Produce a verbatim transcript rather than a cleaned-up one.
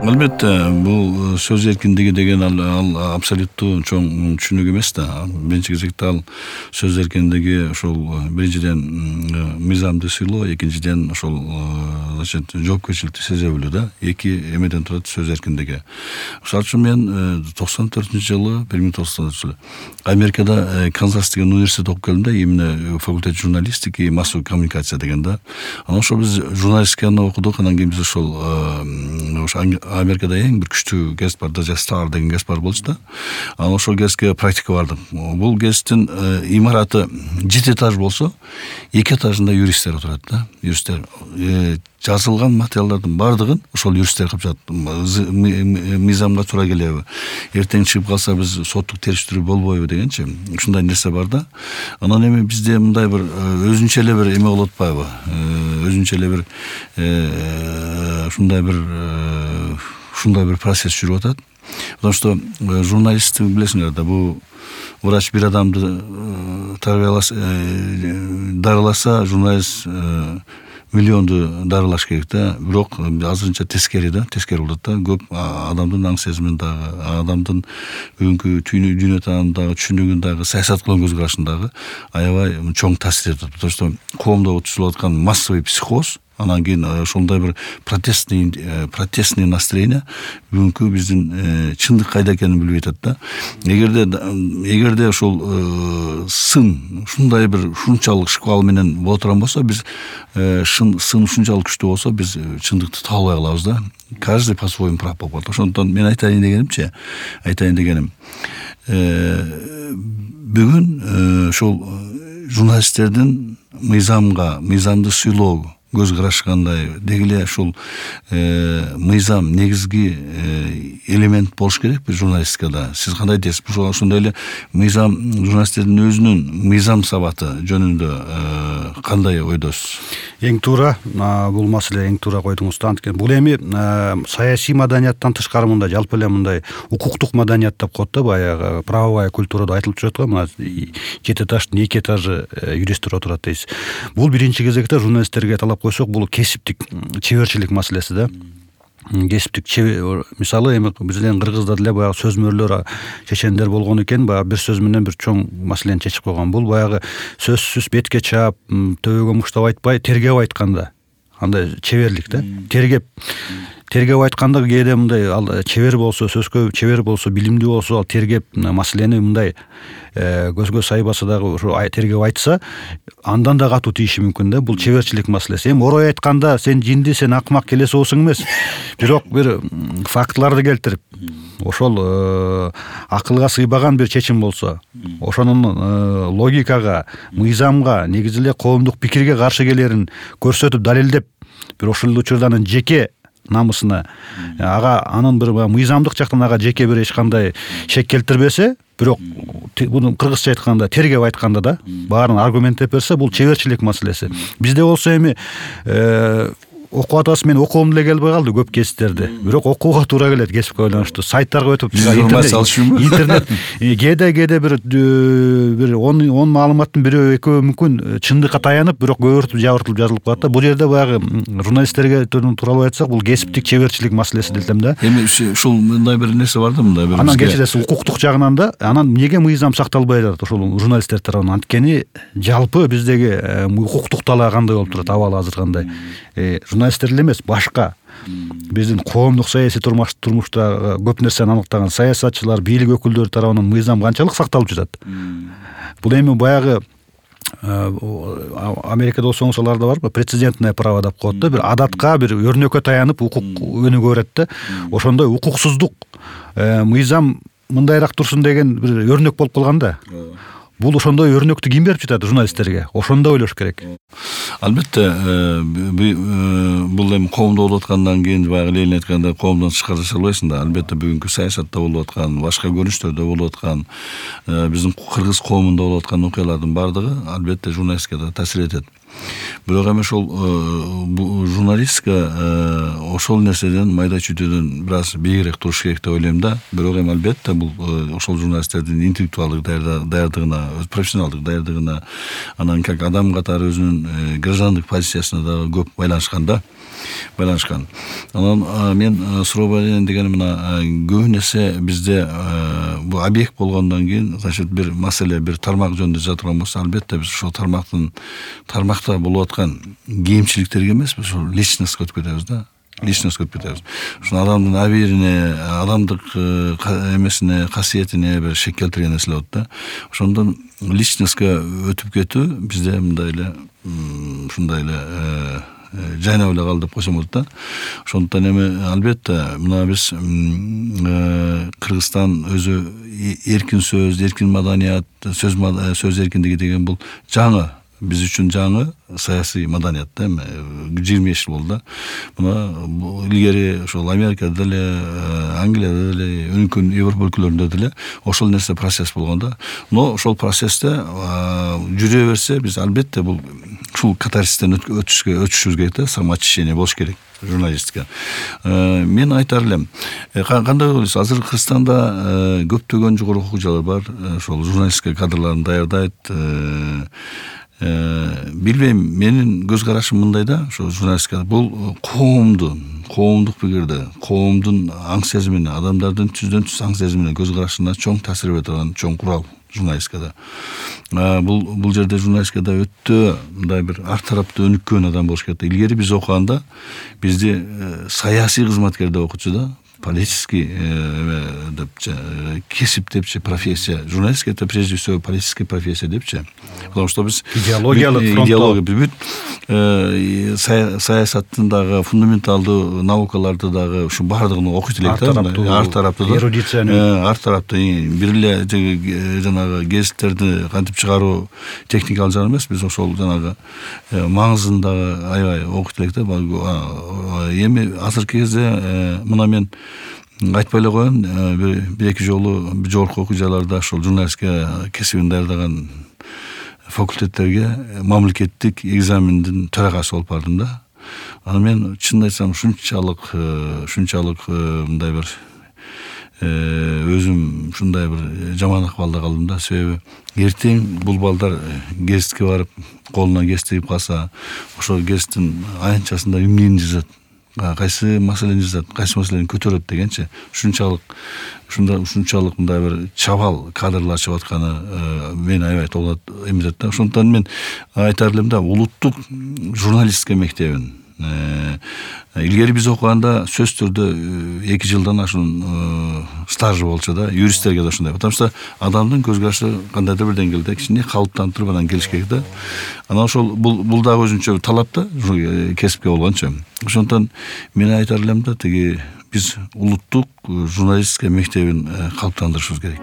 Албетте, бул сөз эркиндиги деген ал абсолюттуу чоң түшүнүк эмес да. Биринчи кезекте ал сөз эркиндиги ошол биринчиден мыйзамды сыйлоо, экинчиден ошол значит жоопкерчиликти сезе билүү да. Эки эмеден турат сөз эркиндиги. Мисалы үчүн мен токсон төртүнчү жылы, бир миң тогуз жүз токсон жылы Америкада Канзас деген университет окуп келдим да, именно факультет журналистики и массовой коммуникация деген да. Анан ошол биз журналистиканы окудук, анан кийин биз ошол ошо Америкада эң бир күчтүү гезит бар да, Star деген гезит бар болчу да. Анан ошол гезитке практика бардым. Бул гезиттин имараты жети этаж болсо, эки этажында юристтер отурат да. Юристтер жазылган материалдардын бардыгын ошол юристтер кылып жатат. Мыйзамга туура келеби? Эртең чыгып калса биз соттук териштирүү болбойбу дегенчи. Ушундай нерсе бар да. Анан эми бизде мындай бир өзүнчө эле бир эме болуп атпайбы? Өзүнчө эле бир ушундай бир ушундай бир процесс жүрүп атат. Потому что журналист билесиңер да, бул врач бир адамды тарбияласа, дарыласа, журналист миллионду дарылаш керек да. Бирок азырынча тескери да, тескери болот да. Көп адамдын аң сезимин дагы, адамдын бүгүнкү дүйнө таанын дагы, түшүнүгүн дагы, саясат кылган көз карашын дагы аябай чоң таасир этет. Потому что коомдо түзүлүп аткан массовый психоз, анан кийин ошондой бир протестный протестный настроение бүгүнкү биздин чындык кайда экенин билбей атат да. Эгерде эгерде ошол сын ушундай бир ушунчалык шквал менен боло турган болсо, биз сын ушунчалык күчтүү болсо, биз чындыкты таба албай калабыз да. Каждый по-своему прав болуп калат. Ошондон мен айтайын дегенимчи, айтайын дегеним бүгүн ошол журналисттердин мыйзамга, мыйзамды сыйлоо көз карашы кандай, деги эле ушул мыйзам негизги элемент болуш керек бир журналистикада. Сиз кандай дейсиз? Ошондой эле мыйзам журналисттердин өзүнүн мыйзам сабаты жөнүндө кандай ойдосуз? Эң туура, бул маселе эң туура койдуңуз да. Анткени бул эми саясий маданияттан тышкары мындай жалпы эле мындай укуктук маданият деп коет да, баягы правовая культурада айтылып жүрөт го, мына жети этаждын эки этажы юристтер отурат дейсиз. Бул биринчи кезекте журналисттерге талап койсок, бул кесиптик чеберчилик маселеси да. Кесиптик мисалы эми бизден кыргызда деле баягы сөзмөрлөр, чечендер болгон экен, баягы бир сөз менен бир чоң маселени чечип койгон. Бул баягы сөзсүз бетке чаап, төбөгө муштап айтпай, тергеп айтканда андай чеберлик да. Тергеп тергеп айтканда кээде мындай ал чебер болсо, сөзгө чебер болсо, билимдүү болсо, ал тергеп маселени мындай көзгө сайбаса дагы ошо тергеп айтса, андан да катуу тийиши мүмкүн да. Бул чеберчилик маселеси. Эми орой айтканда сен жинди, сен акмак келеси болсоң эмес, бирок бир фактыларды келтирип, ошол акылга сыйбаган бир чечим болсо, ошонун логикага, мыйзамга, негизи эле коомдук пикирге каршы келерин көрсөтүп, далилдеп, бир ошол учурда анын жеке намысына, ага анын бир мыйзамдык жактан ага жеке бир эч кандай шек келтирбесе, бирок буну кыргызча айтканда, тергеп айтканда да баарын аргументтеп берсе, бул чеберчилик маселеси. Бизде болсо эми окуп атасыз, мен окугум деле келбей калды көп кесиптерди. Бирок окууга туура келет кесипке байланыштуу. Сайттарга өтүп, интернет кээде кээде бир бир он маалыматтын бирөө экөө мүмкүн чындыкка таянып, бирок көбүртүп жабыртылып жазылып калат да. Бул жерде баягы журналисттерге тууралуу айтсак, бул кесиптик чеберчилик маселеси десем да. Эми ушул мындай бир нерсе бар да, мындай бир. Анан кечиресиз, укуктук жагынан да, анан эмнеге мыйзам сакталбай жатат ошол журналисттер тарабынан? Анткени жалпы биздеги укуктук талаа кандай болуп турат, абалы азыр кандай? Журналисттер эле эмес, башка биздин коомдук саясий турмушта көп нерсени аныктаган саясатчылар, бийлик өкүлдөрү тарабынан мыйзам канчалык сакталып жатат? Бул эми баягы Америкада болсоңуз аларда барбы, прецедентное право деп коет да, бир адатка, бир өрнөккө таянып укук өнүгө берет да. Ошондой укуксуздук, мыйзам мындайраак турсун деген бир өрнөк болуп калган да. Бул ошондой өрнөктү ким берип жатат журналисттерге? Ошондо ойлош керек. Албетте, бул эми коомдо болуп аткандан кийин баягы Ленин айткандай коомдон тышкары жашай албайсың да. Албетте бүгүнкү саясатта болуп аткан, башка көрүнүштөрдө болуп аткан, биздин кыргыз коомунда болуп аткан окуялардын бардыгы албетте журналистке да таасир этет. Бирок эми ошол журналистика ошол нерседен майда чүйдөдөн бир аз бийигирээк туруш керек деп ойлойм да. Бирок эми албетте бул ошол журналисттердин интеллектуалдык даярдыгына, профессионалдык даярдыгына, анан как адам катары өзүнүн граждандык позициясына дагы көп байланышкан да. байланышкан. Анан мен сурообай дегени мына көбүн эсе бизде бул объект болгондон кийин, значит, бир маселе, бир тармак жөнүндө жаткан болсо, албетте биз ошол тармактын тармакта болуп аткан кемчиликтерге эмес, биз ошол личностько өтүп кетебиз да. личностько өтүп кетебиз. Ошо адамдын абийирине, адамдык эмесине, касиетине бир шек келтирген нерселер болот да. Ошондон личностько өтүп кетүү бизде мындай эле ушундай эле жайнап эле калды деп койсом болот да. Ошондуктан эми албетте мына биз Кыргызстан өзү эркин сөз, эркин маданият, сөз сөз эркиндиги деген бул жаңы, биз үчүн жаңы саясий маданият да, эми жыйырма беш жыл болду да. Мына илгери ошол Америкада деле, Англияда деле, өнүккөн Европа өлкөлөрүндө деле ошол нерсе процесс болгон да. Но ошол процессте жүрө берсе, биз албетте бул ушул катарсистен өтүшкө өтүшүбүз керек да, самоочищение болуш керек журналистика. Мен айтар элем, кандай ойлойсуз? Азыр Кыргызстанда көптөгөн жогорку окуу жайлар бар, ошол журналистика кадрларын даярдайт. Билбейм, менин көз карашым мындай да, ошо журналистика бул коомду, коомдук пикирди, коомдун аң сезимине, адамдардын түздөн түз аң сезимине, көз карашына чоң таасир бере турган чоң курал журналистикада. Бул бул жерде журналистикада өтө мындай бир ар тараптуу өнүккөн адам болуш керек. Илгери биз окуганда бизди саясий кызматкер деп окутчу да, политический депчи, кесип депчи, профессия. Журналистика это прежде всего политическая профессия депчи. Потому что биз идеологиялык идеология бүт саясаттын дагы фундаменталдуу наукаларды дагы ушу баардыгын окуйт элек да, ар тараптуу эрудицияны, ар тараптуу бир эле жанагы гезиттерди кантип чыгаруу техникалык жагы эмес, биз ошол жанагы маңызын дагы аябай окуйт элек да. Эми азыркы кезде мына мен айтпай эле коеюн, бир эки жолу жогорку окуу жайларда ошол журналистика кесибин даярдаган факультеттерге мамлекеттик экзамендин төрагасы болуп бардым да. Аны мен чынын айтсам ушунчалык ушунчалык мындай бир өзүм ушундай бир жаман акыбалда калдым да. Себеби эртең бул балдар гезитке барып колуна гезит тигип калса, ошол гезиттин аянтчасында эмнени жазат, кайсы маселени жазат, кайсы маселени көтөрөт дегенчи, ушунчалык ушундай ушунчалык мындай бир чабал кадрлар чыгып атканы мени аябай толгойт эмизет да. Ошондуктан мен айтар элем да, улуттук журналистика мектебин илгери биз окуганда сөз түрдө эки жылдан ашуун стажы болчу да, юристтерге да ушундай. Потому что адамдын көз карашы кандайдыр бир деңгээлде кичине калыптанып туруп анан келиш керек да. Анан ошол бул бул дагы өзүнчө талап да, кесипке болгончо. Ошондуктан мен айтар элем да, тиги биз улуттук журналистика мектебин калыптандырышыбыз керек.